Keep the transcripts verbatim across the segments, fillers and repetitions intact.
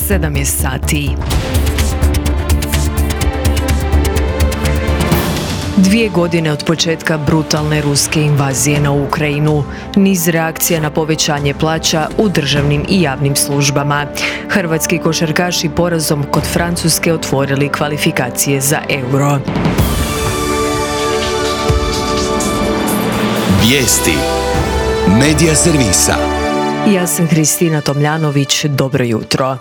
sedam je sati. Dvije godine od početka brutalne ruske invazije na Ukrajinu, niz reakcija na povećanje plaća u državnim i javnim službama. Hrvatski košarkaši porazom kod Francuske otvorili kvalifikacije za Euro. Vijesti Medija servisa. Ja sam Kristina Tomljanović, dobro jutro.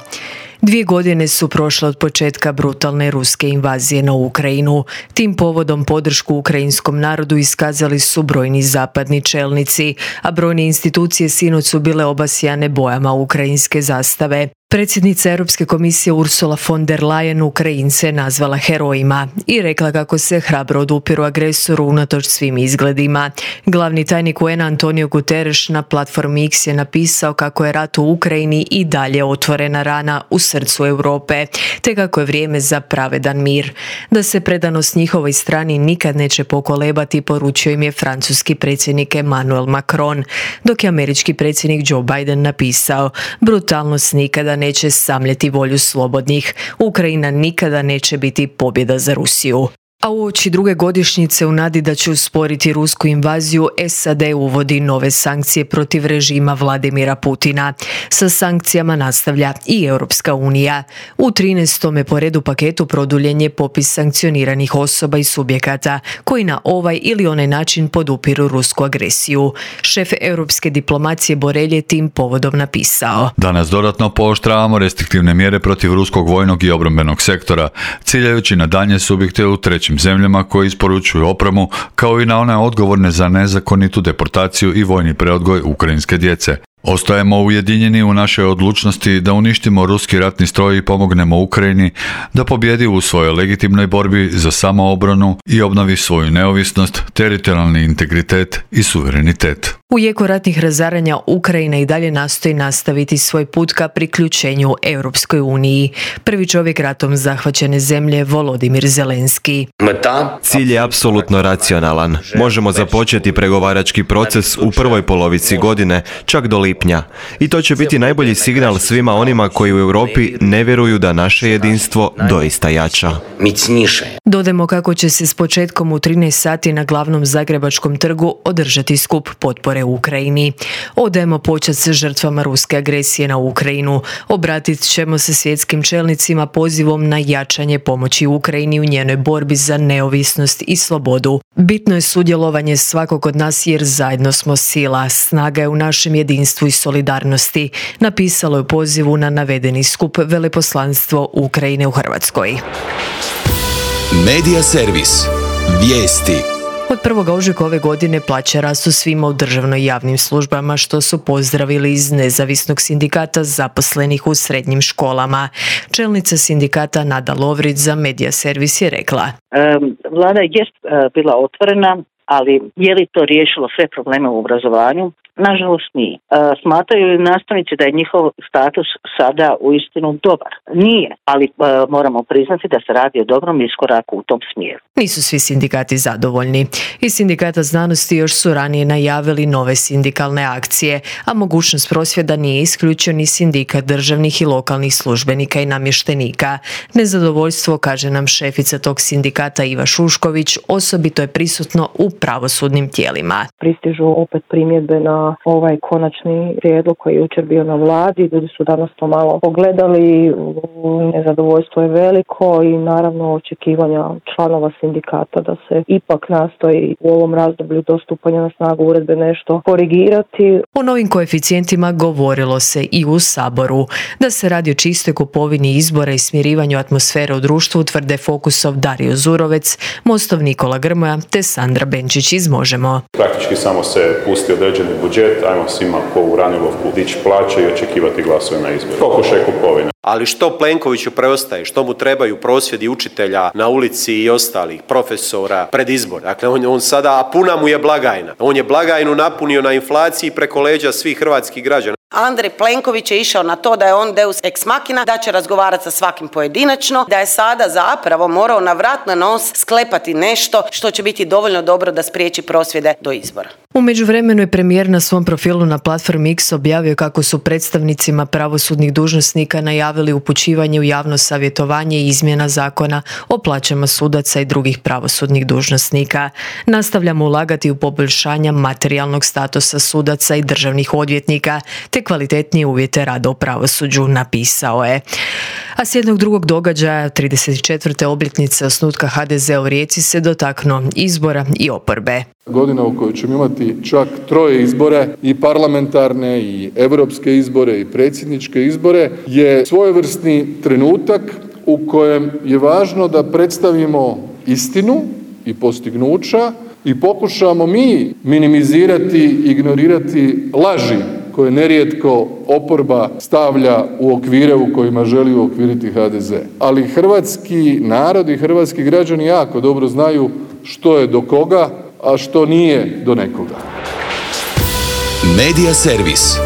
Dvije godine su prošle od početka brutalne ruske invazije na Ukrajinu. Tim povodom podršku ukrajinskom narodu iskazali su brojni zapadni čelnici, a brojne institucije sinoć su bile obasjane bojama ukrajinske zastave. Predsjednica Europske komisije Ursula von der Leyen Ukrajince nazvala herojima i rekla kako se hrabro odupiru agresoru unatoč svim izgledima. Glavni tajnik U N-a Antonio Guterres na platformi X je napisao kako je rat u Ukrajini i dalje otvorena rana u srcu Europe, te kako je vrijeme za pravedan mir. Da se predanost njihovoj strani nikad neće pokolebati, poručio im je francuski predsjednik Emmanuel Macron, dok je američki predsjednik Joe Biden napisao: brutalnost nikada neće samljeti volju slobodnih. Ukrajina nikada neće biti pobjeda za Rusiju. A uoči druge godišnjice u nadi da će usporiti rusku invaziju, S A D uvodi nove sankcije protiv režima Vladimira Putina. Sa sankcijama nastavlja i Europska unija. U trinaestom po redu paketu produljen je popis sankcioniranih osoba i subjekata koji na ovaj ili onaj način podupiru rusku agresiju. Šef europske diplomacije Borrell je tim povodom napisao: danas dodatno pooštravamo restriktivne mjere protiv ruskog vojnog i obrambenog sektora, ciljajući na daljnje subjekte u trećim zemljama koji isporučuju opremu, kao i na one odgovorne za nezakonitu deportaciju i vojni preodgoj ukrajinske djece. Ostajemo ujedinjeni u našoj odlučnosti da uništimo ruski ratni stroj i pomognemo Ukrajini da pobjedi u svojoj legitimnoj borbi za samoobranu i obnovi svoju neovisnost, teritorijalni integritet i suverenitet. U jeku ratnih razaranja Ukrajina i dalje nastoji nastaviti svoj put ka priključenju Europskoj uniji. Prvi čovjek ratom zahvaćene zemlje Volodimir Zelenski. Cilj je apsolutno racionalan. Možemo započeti pregovarački proces u prvoj polovici godine, čak do lipnja. I to će biti najbolji signal svima onima koji u Europi ne vjeruju da naše jedinstvo doista jača. Dodajmo kako će se s početkom u trinaest sati na glavnom zagrebačkom trgu održati skup potpore u Ukrajini. Odajemo počast žrtvama ruske agresije na Ukrajinu. Obratit ćemo se svjetskim čelnicima pozivom na jačanje pomoći Ukrajini u njenoj borbi za neovisnost i slobodu. Bitno je sudjelovanje svakog od nas jer zajedno smo sila. Snaga je u našem jedinstvu i solidarnosti, napisalo je u pozivu na navedeni skup veleposlanstvo Ukrajine u Hrvatskoj. Medija servis. Vijesti. Od prvog ožujka ove godine plaće rastu svima u državnoj i javnim službama, što su pozdravili iz nezavisnog sindikata zaposlenih u srednjim školama. Čelnica sindikata Nada Lovrić za Medija servis je rekla: Vlada je bila otvorena, ali je li to riješilo sve probleme u obrazovanju? Nažalost nije. E, smatraju li nastavnici da je njihov status sada uistinu dobar? Nije, ali e, moramo priznati da se radi o dobrom iskoraku u tom smjeru. Nisu svi sindikati zadovoljni. Iz Sindikata znanosti još su ranije najavili nove sindikalne akcije, a mogućnost prosvjeda nije isključio ni sindikat državnih i lokalnih službenika i namještenika. Nezadovoljstvo, kaže nam šefica tog sindikata Iva Šušković, osobito je prisutno u pravosudnim tijelima. Pristižu opet primjedbe na ovaj konačni prijedlog koji je jučer bio na vladi. Ljudi su danas to malo pogledali, nezadovoljstvo je veliko i naravno očekivanja članova sindikata da se ipak nastoji u ovom razdoblju do stupanja na snagu uredbe nešto korigirati. O novim koeficijentima govorilo se i u Saboru. Da se radi o čistoj kupovini izbora i smirivanju atmosfere u društvu, tvrde Fokusov Dario Zurovec, Mostov Nikola Grmoja te Sandra Benčić iz Možemo. Praktički samo se pusti određeni budžet, ajmo svima ko u Ranilovku dići plaće i očekivati glasove na izbore. Pokušaj kupovine. Ali što Plenkoviću preostaje? Što mu trebaju prosvjedi učitelja na ulici i ostalih profesora pred izbor? Dakle, on, on sada, a puna mu je blagajna. On je blagajnu napunio na inflaciji preko leđa svih hrvatskih građana. Andrej Plenković je išao na to da je on deus ex machina, da će razgovarati sa svakim pojedinačno, da je sada zapravo morao na vrat na nos sklepati nešto što će biti dovoljno dobro da spriječi prosvjede do izbora. U međuvremenu je premijer na svom profilu na platformi X objavio kako su predstavnicima pravosudnih dužnosnika najavili upućivanje u javno savjetovanje i izmjena zakona o plaćama sudaca i drugih pravosudnih dužnosnika. Nastavljamo ulagati u poboljšanja materijalnog statusa sudaca i državnih odvjetnika te kvalitetnije uvjete rada u pravosuđu, napisao je. A s jednog drugog događaja, trideset četvrte obljetnice osnutka ha de zea u Rijeci, se dotaknuo izbora i oporbe. Godina u kojoj ćemo imati čak troje izbore, i parlamentarne i europske izbore i predsjedničke izbore, je svojevrsni trenutak u kojem je važno da predstavimo istinu i postignuća i pokušamo mi minimizirati, ignorirati laži koje nerijetko oporba stavlja u okvire u kojima želi uokviriti ha de ze. Ali hrvatski narod i hrvatski građani jako dobro znaju što je do koga, a što nije do nekoga. Medija servis.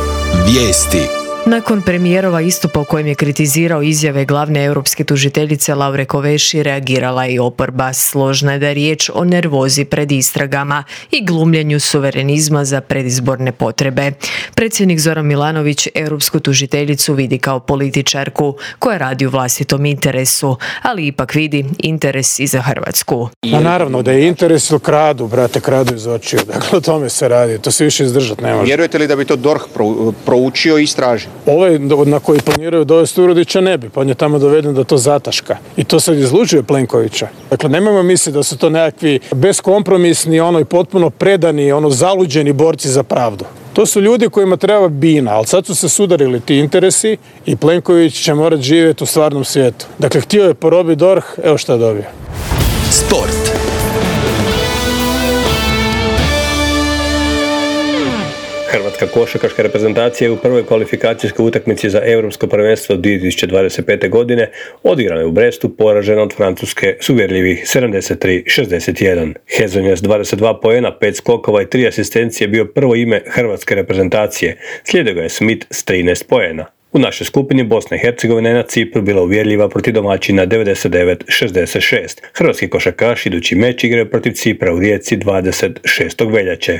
Vijesti. Nakon premijerova istupa u kojem je kritizirao izjave glavne europske tužiteljice Laure Kovesi, reagirala je i oporba. Složna je da je riječ o nervozi pred istragama i glumljenju suverenizma za predizborne potrebe. Predsjednik Zoran Milanović europsku tužiteljicu vidi kao političarku koja radi u vlastitom interesu, ali ipak vidi interes i za Hrvatsku. Ma naravno da je interes, ili kradu, brate, kradu iz očiju. Dakle, o tome se radi. To se više izdržati ne može. Vjerujete li da bi to D O R H proučio i istražio? Ovaj na koji planiraju dovesti Turudića ne bi, pa on je tamo doveden da to zataška. I to sad izlučuje Plenkovića. Dakle, nemojmo misliti da su to nekakvi beskompromisni, ono i potpuno predani, ono zaluđeni borci za pravdu. To su ljudi kojima treba bina, ali sad su se sudarili ti interesi i Plenković će morati živjeti u stvarnom svijetu. Dakle, htio je porobiti D O R H, evo šta je dobio. Sport. Hrvatska košarkaška reprezentacija je u prvoj kvalifikacijskoj utakmici za Europsko prvenstvo dvije tisuće dvadeset pete. godine odigrana je u Brestu, poražena od Francuske s uvjerljivih sedamdeset tri šezdeset jedan. Hezonja s dvadeset dva poena, pet skokova i tri asistencije bio prvo ime hrvatske reprezentacije, slijedio ga je Smith s trinaest poena. U našoj skupini Bosna i Hercegovina je na Cipru bila uvjerljiva protiv domaćina devedeset devet šezdeset šest. Hrvatski košarkaši idući meč igraju protiv Cipra u Rijeci dvadeset šestog veljače.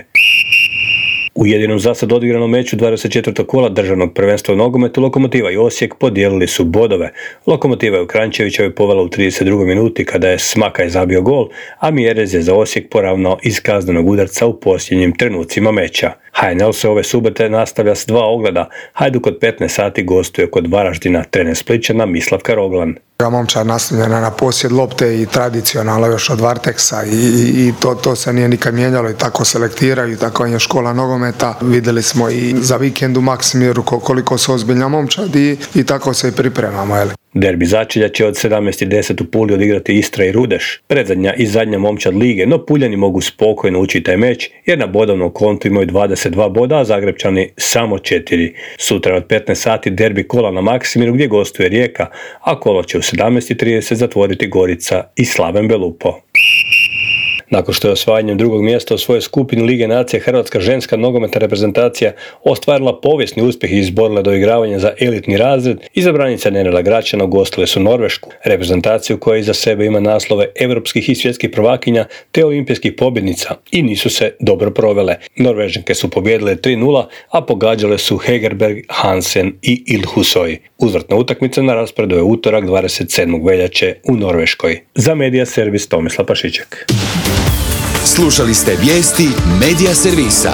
U jedinom zasad odigranom meču dvadeset četvrtog kola državnog prvenstva u nogometu Lokomotiva i Osijek podijelili su bodove. Lokomotiva je u Kranjčevićevoj povela u trideset drugoj minuti kada je Smakaj zabio gol, a Mjerez je za Osijek poravnao iz kaznenog udarca u posljednjim trenucima meča. ha en el se ove subote nastavlja s dva ogleda. Hajduk od petnaest sati gostuje kod Varaždina, trener Splićana Mislavka Roglan. Momčad naslonjena na posjed lopte i tradicionalno još od Varteksa i, i, i to, to se nije nikad mijenjalo i tako selektiraju, tako je škola nogometa. Vidjeli smo i za vikend u Maksimiru koliko su ozbiljna momčad i, i tako se i pripremamo. Jel? Derbi začelja će od sedamnaest i deset u Puli odigrati Istra i Rudeš, predzadnja i zadnja momčad lige, no Puljani mogu spokojno ući taj meč jer na bodovnom kontu imaju dvadeset dva boda, a Zagrepčani samo četiri. Sutra od petnaest sati derbi kola na Maksimiru gdje gostuje Rijeka, a kolo će u sedamnaest i trideset zatvoriti Gorica i Slaven Belupo. Nakon što je osvajanjem drugog mjesta u svojoj skupini Lige nacije Hrvatska ženska nogometna reprezentacija ostvarila povijesni uspjeh i izborila doigravanje za elitni razred, izabranica Nenela Gračana ugostile su Norvešku, reprezentaciju koja iza sebe ima naslove europskih i svjetskih prvakinja te olimpijskih pobjednica i nisu se dobro provele. Norvežanke su pobijedile tri nula, a pogađale su Hegerberg, Hansen i Ilhusoj. Uzvratna utakmica na rasporedu je utorak dvadeset sedmog veljače u Norveškoj. Za Medija servis Tomislav Pašiček. Slušali ste vijesti Medija servisa.